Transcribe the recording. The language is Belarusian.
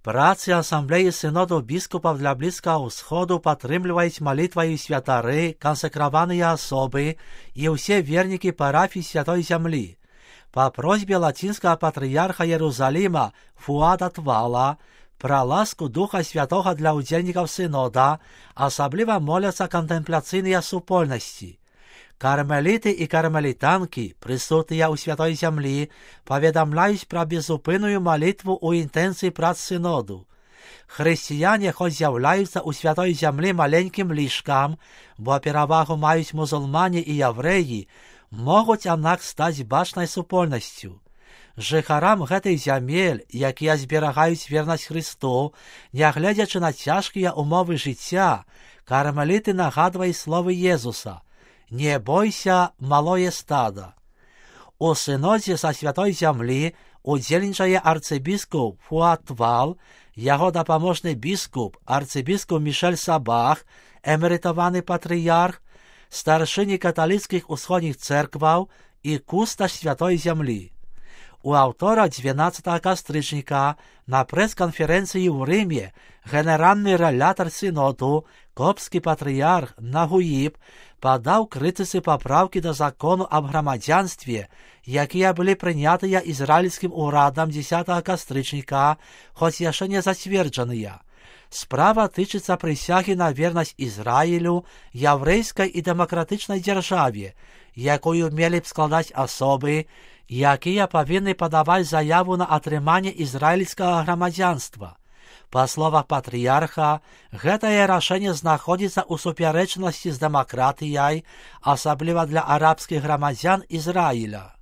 Працы асамблеі сыноду біскупаў для Блізкага ўсходу падтрымліваюць малітваю святары, кансакраваныя асобы і ўсе вернікі парафій Святой Зямлі. Па просьбе лацінскага патрыярха Єрусаліма Фуада Твала пра ласку Духа Святога для ўдзельнікаў сынода асабліва моляцца кантэмпляцыйныя супольнасці. Кармеліты і кармелітанкі, прысутныя ў Святой Зямлі, паведамляюць пра безупынную малітву ў інтэнцыі прац сыноду. Хрысціяне хоць з'яўляюцца ў Святой Зямлі маленькім лішкам, бо перавагу маюць мусульмане і яўрэі, могуць аднак стаць бачнай супольнасцю. Жыхарам гэтай зямель, якія зберагаюць вернасць Хрысту, нягледзячы на цяжкія ўмовы жыцця, кармеліты нагадваюць словы Езуса: «Не бойся, малое стада». У сынодзе са Святой Зямлі удзельнічае арцыбіскуп Фуад Твал, яго дапаможны біскуп, арцыбіскуп Мішель Сабах, эмерытаваны патрыярх, старшыні каталіцкіх усходніх цэркваў і кусташ Святой Зямлі. У аўтора 12 кастрычніка на прэс-канферэнцыі ў Рыме генеральны рэлятар сыноду, копскі патрыярх Нагуіб, падаў крытыцы папраўкі да закону аб грамадзянстве, якія былі прынятыя ізраільскім урадам 10 кастрычніка, хоць яшчэ не зацверджаныя. Справа тычыцца прысягі на вернасць Ізраілю, яўрэйскай і дэмакратычнай дзяржаве, якую мелі б складаць асобы, якія павінны падаваць заяву на атрыманне ізраільскага грамадзянства. Па словах патрыярха, гэтае рашэнне знаходзіцца ў супярэчнасці з дэмакратыяй, асабліва для арабскіх грамадзян Ізраіля.